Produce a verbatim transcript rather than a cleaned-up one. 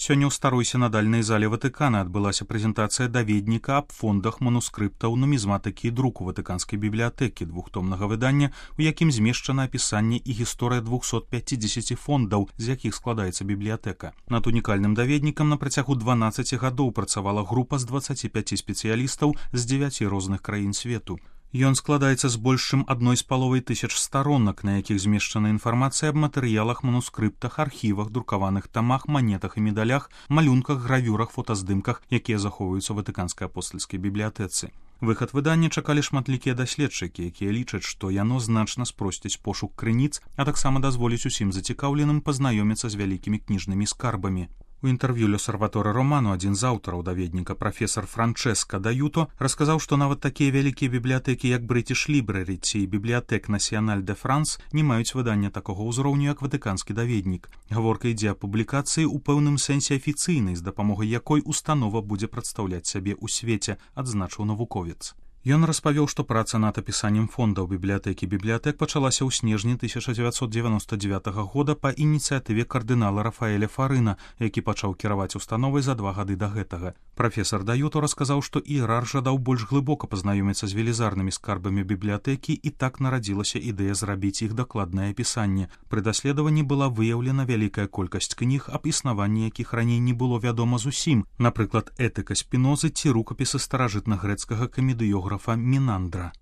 Сёння ў старой сінадальнай зале Ватыкана адбылася прэзентацыя даведніка аб фондах манускрыптаў нумізматыкі і друку ватыканскай бібліятэкі двухтомнага выдання, у якім змешчана апісанне і гісторыя двухсот пяцідзесяці фондаў, з якіх складаецца бібліятэка. Над унікальным даведнікам на працягу дванаццаці гадоў працавала група з дваццаці пяці спецыялістаў з дзевяці розных краін свету. Ён складаецца з больш чым адной з паловай тысяч старонак, на якіх змешчана інфармацыя аб матэрыялах, манускрыптах, архівах, друкаваных тамах, манетах і медалях, малюнках, гравюрах, фотаздымках, якія захоўваюцца ў ватыканскай апостальскай бібліятэцы. Выхад выдання чакалі шматлікія даследчыкі, якія лічаць, што яно значна спросціць пошук крыніц, а таксама дазволіць усім зацікаўленым пазнаёміцца з вялікімі кніжнымі скарбамі. У інтэрв'ю L'Osservatore Romano адзін з аўтараў даведніка, прафесар Франческа Даюто, расказаў, што нават такія вялікія бібліятэкі, як British Library ці Bibliothèque Nationale de France, не маюць выдання такога ўзроўню, як ватыканскі даведнік. Гаворка ідзе аб публікацыі ў пэўным сэнсе афіцыйнай, з дапамогай якой установа будзе прадстаўляць сябе ў свеце, адзначыў навуковец. Ён распавёў, што праца над апісаннем фондаў бібліятэкі бібліятэк пачалася ў снежні тысяча дзевяцьсот дзевяноста дзевятага года па ініцыятыве кардынала Рафаэля Фарына, які пачаў кіраваць установай за два гады да гэтага. Прафесар Даюто расказаў, што іерарх жадаў больш глыбока пазнаёміцца з велізарнымі скарбамі бібліятэкі, і так нарадзілася ідэя зрабіць іх дакладнае апісанне. Пры даследаванні была выяўлена вялікая колькасць кніг, аб існаванні якіх раней не было вядома зусім, напрыклад, этыка Спінозы ці рукапісы старажытнагрэцкага камедыёграфа Мінандра.